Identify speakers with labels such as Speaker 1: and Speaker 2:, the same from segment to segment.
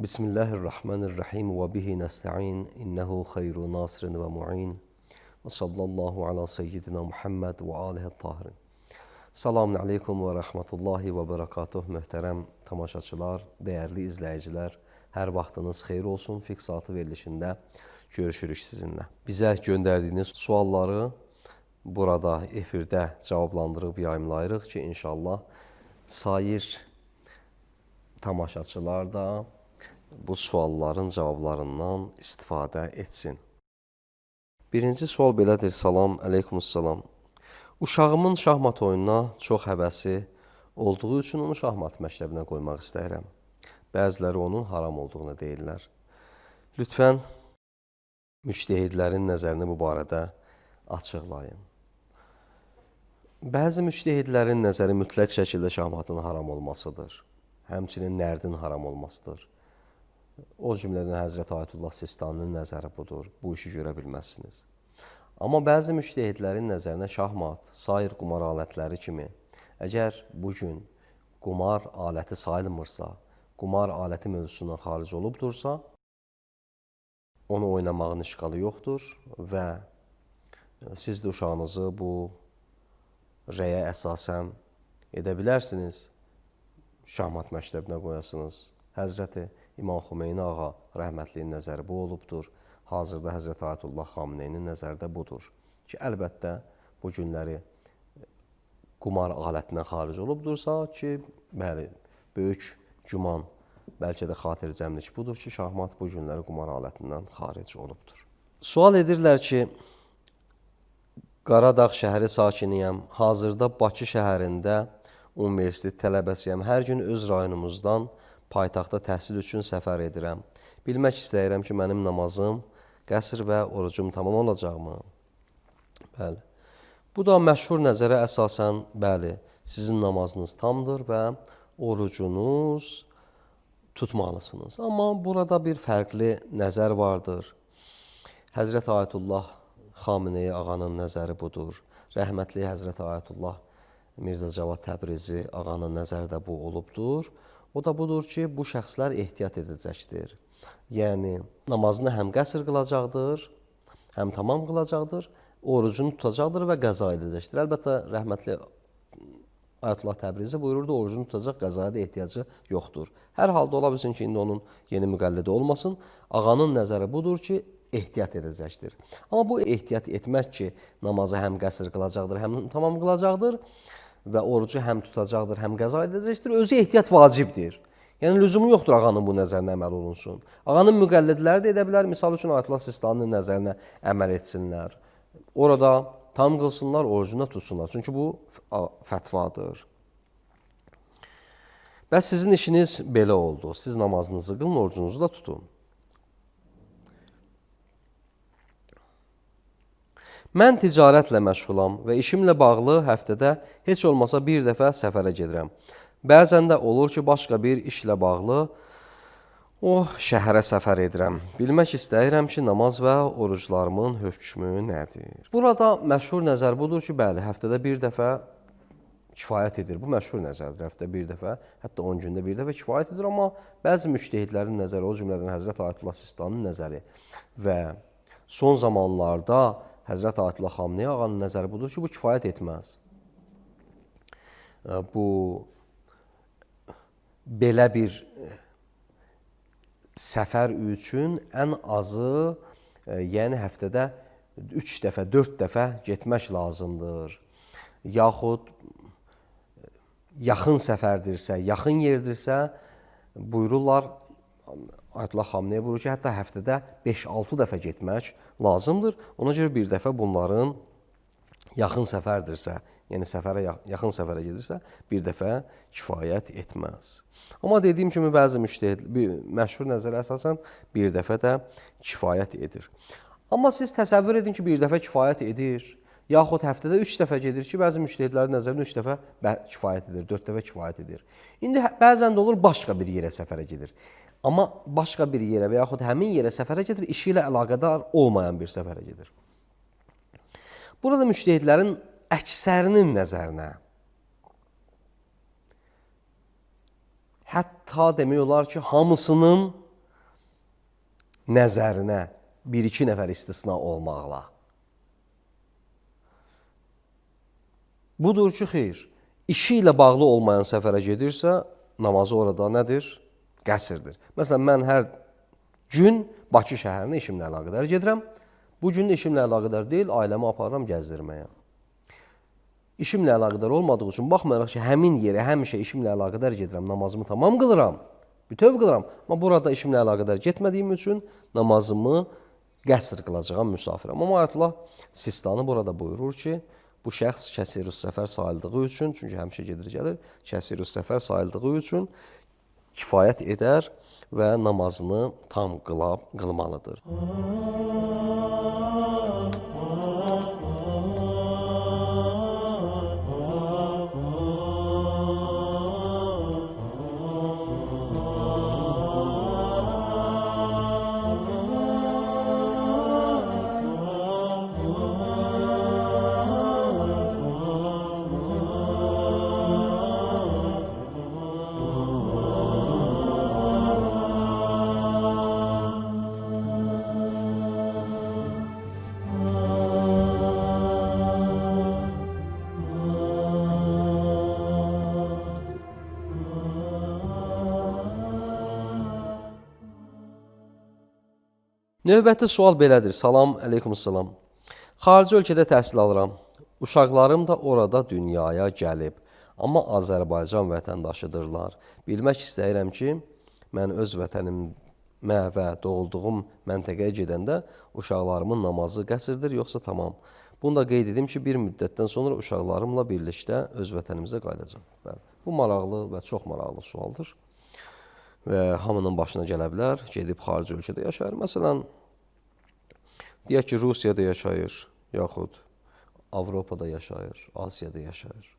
Speaker 1: Bismillahirrahmanirrahim və bihi nəstə'in, innəhu xeyru nasirin və mu'in və sallallahu ala seyyidina Muhammed və alihi tahirin. Selamun aleykum və rəhmətullahi və bərəkatuh, möhtərəm tamaşaçılar, dəyərli izləyicilər. Hər vaxtınız xeyir olsun, fiqh saatı verilişində görüşürük sizinlə. Bizə göndərdiyiniz sualları burada efirdə cavablandırıb yayımlayırıq ki, inşallah sair tamaşaçılar da bu sualların cavablarından istifadə etsin. Birinci sual belədir. Salam, əleykumussalam. Uşağımın şahmat oyununa çox həvəsi olduğu üçün onu şahmat məktəbinə qoymaq istəyirəm. Bəziləri onun haram olduğunu deyirlər. Lütfən müctəhidlərin nəzərini bu barədə açıqlayın. Bəzi müctəhidlərin nəzəri mütləq şəkildə şahmatın haram olmasıdır. Həmçinin nərdin haram olmasıdır. O cümlədən Həzrət Ayətullah Sistaninin nəzəri budur. Bu işi görə bilməzsiniz. Amma bəzi müctəhidlərin nəzərinə şahmat, sair qumar alətləri kimi, əgər bugün qumar aləti sayılmırsa, qumar aləti mövzusundan xaric olubdursa, onu oynamağın işğalı yoxdur və siz də uşağınızı bu rəyə əsasən edə bilərsiniz, şahmat məktəbinə qoyasınız. Həzrəti İmam Xümeyni ağa rəhmətliyin nəzəri bu olubdur. Hazırda Həzrət Ayətullah Xameneyinin nəzəri də budur ki, əlbəttə bu günləri qumar alətindən xaric olubdursa ki, bəli, böyük güman, bəlkə də xatircəmlik budur ki, şahmat bu günləri qumar alətindən xaric olubdur. Sual edirlər ki, Qaradağ şəhəri sakiniyəm, hazırda Bakı şəhərində universitet tələbəsiyəm, hər gün öz rayonumuzdan paytaxta təhsil üçün səfər edirəm. Bilmək istəyirəm ki, mənim namazım, qəsr və orucum tamam olacaqmı? Bəli. Bu da məşhur nəzərə əsasən, bəli, sizin namazınız tamdır və orucunuz tutmalısınız. Amma burada bir fərqli nəzər vardır. Həzrət Ayətullah Xameneyi ağanın nəzəri budur. Rəhmətli Həzrət Ayətullah Mirzə Cavad Təbrizi ağanın nəzəri də bu olubdur. O da budur ki, bu şəxslər ehtiyat edəcəkdir. Yəni, namazını həm qəsr qılacaqdır, həm tamam qılacaqdır, orucunu tutacaqdır və qəza edəcəkdir. Əlbəttə, rəhmətli Ayətullah Təbrizi buyururdu, orucunu tutacaq, qəzaya da ehtiyacı yoxdur. Hər halda ola bilsin ki, indi onun yeni müqəllidi olmasın. Ağanın nəzəri budur ki, ehtiyat edəcəkdir. Amma bu ehtiyat etmək ki, namazı həm qəsr qılacaqdır, həm tamam qılacaqdır və orucu həm tutacaqdır, həm qəza edəcəkdir, özü ehtiyat vacibdir. Yəni, lüzumu yoxdur ağanın bu nəzərinə əməl olunsun. Ağanın müqəllidləri də edə bilər, misal üçün Ayətullah Sistaninin nəzərinə əməl etsinlər. Orada tam qılsınlar, orucunu tutsunlar. Çünki bu fətvadır. Və sizin işiniz belə oldu. Siz namazınızı qılın, orucunuzu da tutun. Mən ticarətlə məşğulam və işimlə bağlı həftədə heç olmasa bir dəfə səfərə gedirəm. Bəzən də olur ki, başqa bir işlə bağlı o şəhərə səfər edirəm. Bilmək istəyirəm ki, namaz və oruclarımın hökmü nədir? Burada məşhur nəzər budur ki, bəli, həftədə bir dəfə kifayət edir. Bu məşhur nəzərdir, həftədə bir dəfə, hətta 10 gündə bir dəfə kifayət edir. Amma bəzi müctəhidlərin nəzəri, o cümlədən Həzrət Ayətullah Sistaninin nəzəri və son zamanlarda Həzrət Ayətullah Xameneyi ağanın nəzəri budur ki, bu kifayət etməz. Bu, belə bir səfər üçün ən azı, yəni həftədə 3 dəfə, 4 dəfə getmək lazımdır. Yaxud yaxın səfərdirsə, yaxın yerdirsə, buyururlar, Ayətullah Xameneyi buyurur ki, hətta həftədə 5-6 dəfə getmək lazımdır. Ona görə bir dəfə bunların yaxın səfərdirsə yəni yaxın səfərə gedirsə, bir dəfə kifayət etməz. Amma dediyim kimi, bəzi məşhur nəzərə əsasən bir dəfə də kifayət edir. Amma siz təsəvvür edin ki, bir dəfə kifayət edir, yaxud həftədə 3 dəfə gedir ki, bəzi müştəhidlərin nəzərində 3 dəfə kifayət edir, 4 dəfə kifayət edir. İndi bəzən də olur, başqa bir yerə səfərə gedir. Amma başqa bir yerə və yaxud həmin yerə səfərə gedir, işi ilə əlaqədar olmayan bir səfərə gedir. Burada müştəhidlərin əksərinin nəzərinə, hətta demək olar ki, hamısının nəzərinə 1-2 nəfər istisna olmaqla. Budur ki, xeyr, işi ilə bağlı olmayan səfərə gedirsə, namazı orada nədir? Qəsrdir. Məsələn, mən hər gün Bakı şəhərinə işimlə əlaqədar gedirəm. Bu gün işimlə əlaqədar deyil, ailəmi aparıram gəzdirməyə. İşimlə əlaqədar olmadığı üçün, baxmayaraq ki, həmin yerə həmişə işimlə əlaqədar gedirəm, namazımı tamam qılıram, bütöv qılıram. Amma burada işimlə əlaqədar getmədiyim üçün namazımı qəsr qılacağam müsafirəm. Amma Ayətullah Sistani burada buyurur ki, bu şəxs kəsirus səfər sayıldığı üçün, çünki həmişə gedir gəlir, kəsirus səfər sayıldığı üçün kifayət edər və namazını tam qılmalıdır. Növbəti sual belədir. Salam, əleykumsalam. Xarici ölkədə təhsil alıram. Uşaqlarım da orada dünyaya gəlib. Amma Azərbaycan vətəndaşıdırlar. Bilmək istəyirəm ki, mən öz vətənimə və doğulduğum məntəqəyə gedəndə uşaqlarımın namazı qəsrdir, yoxsa tamam. Bunu da qeyd edim ki, bir müddətdən sonra uşaqlarımla birlikdə öz vətənimizə qayıdacaq. Bu maraqlı və çox maraqlı sualdır. Və hamının başına gələ bilər, gedib xarici ölkədə yaşayır. Məsələn, deyək ki, Rusiyada yaşayır, yaxud Avropada yaşayır, Asiyada yaşayır.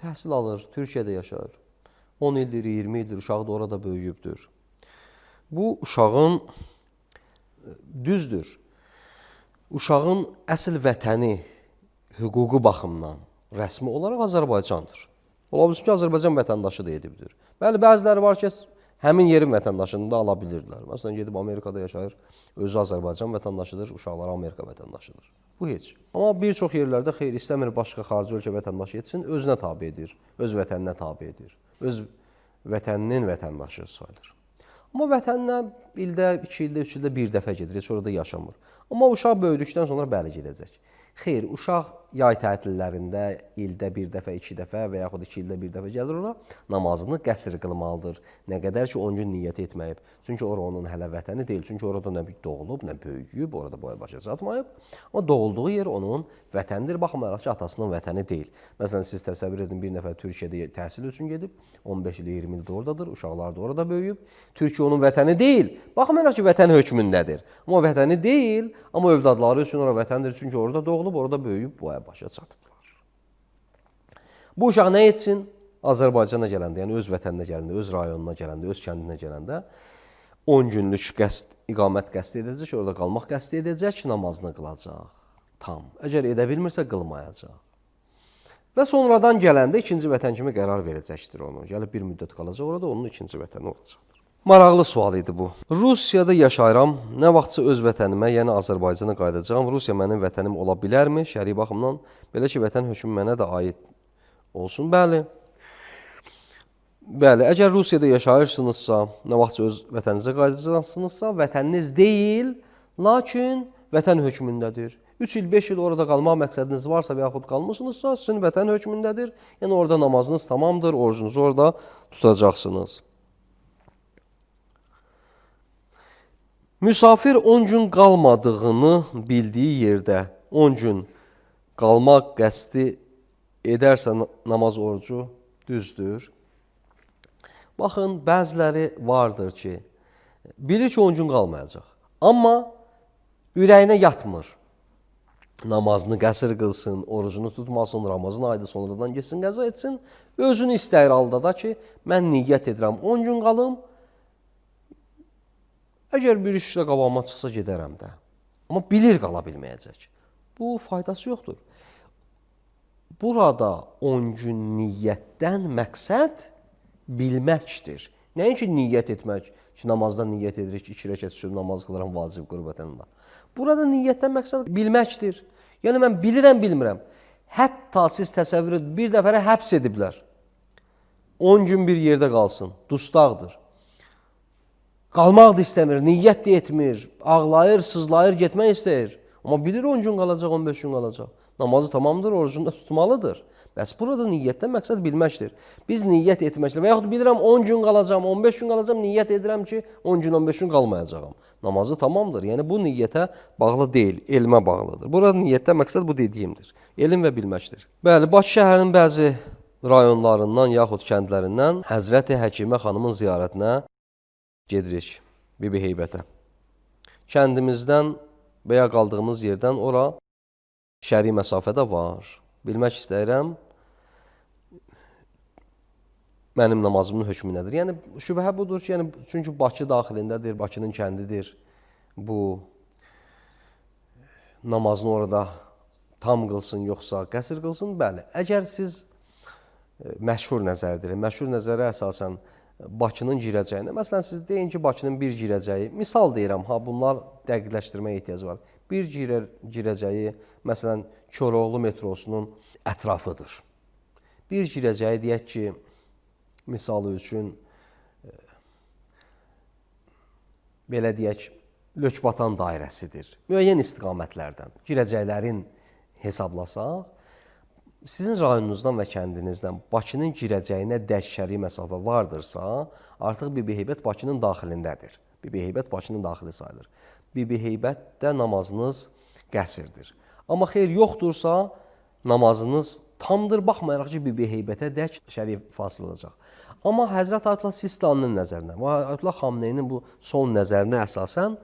Speaker 1: Təhsil alır, Türkiyədə yaşayır. 10 ildir, 20 ildir, uşağı da orada böyüyübdür. Bu, uşağın düzdür. Uşağın əsl vətəni hüququ baxımdan rəsmi olaraq Azərbaycandır. Ola bilsin ki, Azərbaycan vətəndaşı da edibdir. Bəli, bəziləri var ki, həmin yerin vətəndaşını da ala bilirdilər. Məsələn, gedib Amerikada yaşayır, özü Azərbaycan vətəndaşıdır, uşaqları Amerika vətəndaşıdır. Bu heç. Amma bir çox yerlərdə xeyr, istəmir başqa xarici ölkə vətəndaşı etsin, özünə tabi edir, öz vətəninə tabi edir, öz vətəninin vətəndaşı sayılır. Amma vətəninə ildə, 2 ildə, 3 ildə bir dəfə gedir, heç orada yaşamır. Amma uşaq böyüdükdən sonra bəli gedəcək. Xeyr, uşaq yay tətillərində ildə bir dəfə, 2 dəfə və yaxud 2 ildə bir dəfə gəlir ora, namazını qəsr qılmalıdır. Nə qədər ki, 10 gün niyyət etməyib. Çünki ora onun hələ vətəni deyil. Çünki orada nə doğulub, nə böyüyüb, orada boya başa çatmayıb. Amma doğulduğu yer onun vətənidir, baxmayaraq ki, atasının vətəni deyil. Məsələn, siz təsəvvür edin, bir nəfər Türkiyədə təhsil üçün gedib, 15 il, 20 ildə oradadır, uşaqlar da orada böyüyüb. Türkiyə onun vətəni deyil, baxmayaraq ki, vətən hökmündədir. Amma vətəni deyil, amma övladları üçün ora vətəndir, çünki orada doğulub, orada böyüyüb, boya başa çatıblar. Bu uşaq nə etsin? Azərbaycana gələndə, yəni öz vətəninə gələndə, öz rayonuna gələndə, öz kəndinə gələndə 10 günlük iqamət qəsd edəcək, orada qalmaq qəsd edəcək, namazını qılacaq. Tam. Əgər edə bilmirsə, qılmayacaq. Və sonradan gələndə ikinci vətən kimi qərar verəcəkdir onu. Gəlib bir müddət qalacaq orada, onun ikinci vətəni olacaqdır. Maraqlı sual idi bu. Rusiyada yaşayıram, nə vaxtsa öz vətənimə, yəni Azərbaycana qayıdacağam. Rusiya mənim vətənim ola bilərmi? Şəri baxımdan, belə ki, vətən hökmü mənə də aid olsun. Bəli. Bəli, əgər Rusiyada yaşayırsınızsa, nə vaxtsa öz vətəninizə qayıdacaqsınızsa, vətəniniz deyil, lakin vətən hökmündədir. 3 il, 5 il orada qalmaq məqsədiniz varsa və yaxud qalmışsınızsa, sizin vətən hökmündədir. Yəni orada namazınız tamamdır, orucunuzu orada tutacaqsınız. Müsafir 10 gün qalmadığını bildiyi yerdə 10 gün qalmaq qəsdi edərsə namaz orucu düzdür. Baxın, bəziləri vardır ki, bilir ki, 10 gün qalmayacaq. Amma ürəyinə yatmır. Namazını qəsr qılsın, orucunu tutmasın, Ramazan ayda sonradan geçsin, qəza etsin. Özünü istəyir halda da ki, mən niyyət edirəm, 10 gün qalım. Əgər bir işlə qabağıma çıxsa gedərəm də. Amma bilir qala bilməyəcək. Bu faydası yoxdur. Burada 10 gün niyyətdən məqsəd bilməkdir. Nəinki niyyət etmək ki, namazda niyyət edirik, 2 rəkət üçün namaz qılaram vacib qürbətənlə. Burada niyyətdən məqsəd bilməkdir. Yəni, mən bilirəm, bilmirəm. Hətta siz təsəvvür edin, bir dəfərə həbs ediblər. 10 gün bir yerdə qalsın, dustaqdır. Qalmaq da istəmir, niyyət də etmir, ağlayır, sızlayır, getmək istəyir. Amma bilir 10 gün qalacaq, 15 gün qalacaq. Namazı tamamdır, orucunu da tutmalıdır. Bəs burada niyyətdən məqsəd bilməkdir. Biz niyyət etməklə və yaxud bilirəm 10 gün qalacam, 15 gün qalacam, niyyət edirəm ki, 10 gün, 15 gün qalmayacağam. Namazı tamamdır. Yəni, bu niyyətə bağlı deyil, elmə bağlıdır. Burada niyyətdən məqsəd bu dediyimdir. Elm və bilməkdir. Bəli, Bakı şəhərinin bəzi rayonlarından yaxud kəndlərindən Həzrəti Həkimə xanımın ziyarətinə gedirik, Bibi Heybətə. Kəndimizdən və ya qaldığımız yerdən ora şəri məsafədə var. Bilmək istəyirəm, mənim namazımın hökmü nədir? Yəni, şübhə budur ki, yəni, çünki Bakı daxilindədir, Bakının kəndidir. Bu namazını orada tam qılsın, yoxsa qəsr qılsın? Bəli, əgər siz məşhur nəzərdir, məşhur nəzərə əsasən Bakının girəcəyinə, məsələn, siz deyin ki, Bakının bir girəcəyi, misal deyirəm, bunlar dəqiqləşdirməyə ehtiyac var. Bir girəcəyi, məsələn, Koroğlu metrosunun ətrafıdır. Bir girəcəyi deyək ki, misalı üçün, belə deyək, Lökbatan dairəsidir. Müəyyən istiqamətlərdən girəcəklərin hesablasaq, sizin rayonunuzdan və kəndinizdən Bakının girəcəyinə dək şəri məsafə vardırsa, artıq Bibi Heybət Bakının daxilindədir. Bibi Heybət Bakının daxili sayılır. Bibi Heybətdə namazınız qəsrdir. Amma xeyr yoxdursa, namazınız tamdır, baxmayaraq ki, Bibi Heybətə dək şəri fasil olacaq. Amma Həzrət Ayətullah Sistaninin nəzərinə və Ayətullah Xamneyinin bu son nəzərinə əsasən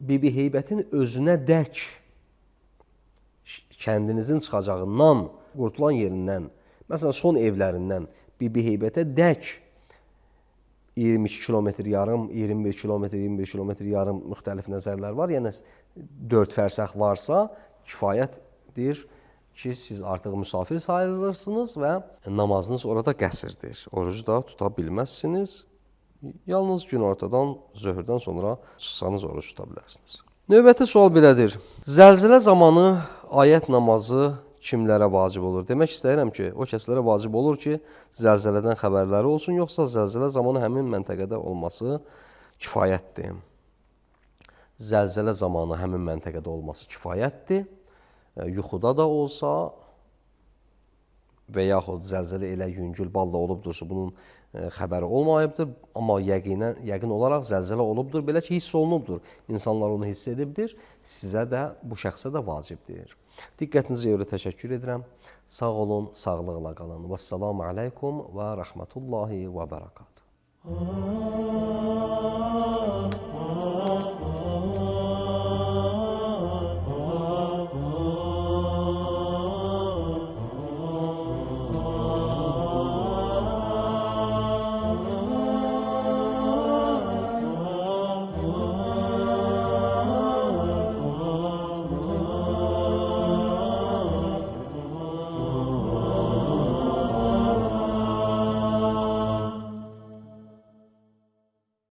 Speaker 1: Bibi Heybətin özünə dək kəndinizin çıxacağından, qurtulan yerindən, məsələn, son evlərindən Bibi Heybətə dək 22 kilometr yarım, 21 kilometr, 21 kilometr yarım müxtəlif nəzərlər var. Yəni, 4 fərsəx varsa kifayətdir ki, siz artıq müsafir sayılırsınız və namazınız orada qəsrdir. Orucu da tuta bilməzsiniz. Yalnız günortadan, zöhrdən sonra çıxsanız oruc tuta bilərsiniz. Növbəti sual belədir. Zəlzələ zamanı ayət namazı kimlərə vacib olur? Demək istəyirəm ki, o kəslərə vacib olur ki, zəlzələdən xəbərləri olsun, yoxsa zəlzələ zamanı həmin məntəqədə olması kifayətdir. Zəlzələ zamanı həmin məntəqədə olması kifayətdir. Yuxuda da olsa və yaxud zəlzələ elə yüngül balla olubdursa, bunun xəbəri olmayıbdır, amma yəqin olaraq zəlzələ olubdur, belə ki, hiss olunubdur. İnsanlar onu hiss edibdir, sizə də, bu şəxsə də vacibdir. Diqqətinizə görə təşəkkür edirəm. Sağ olun, sağlıqla qalın. Vəssalamu aleykum və rəhmətullahi və bərəkatuhu.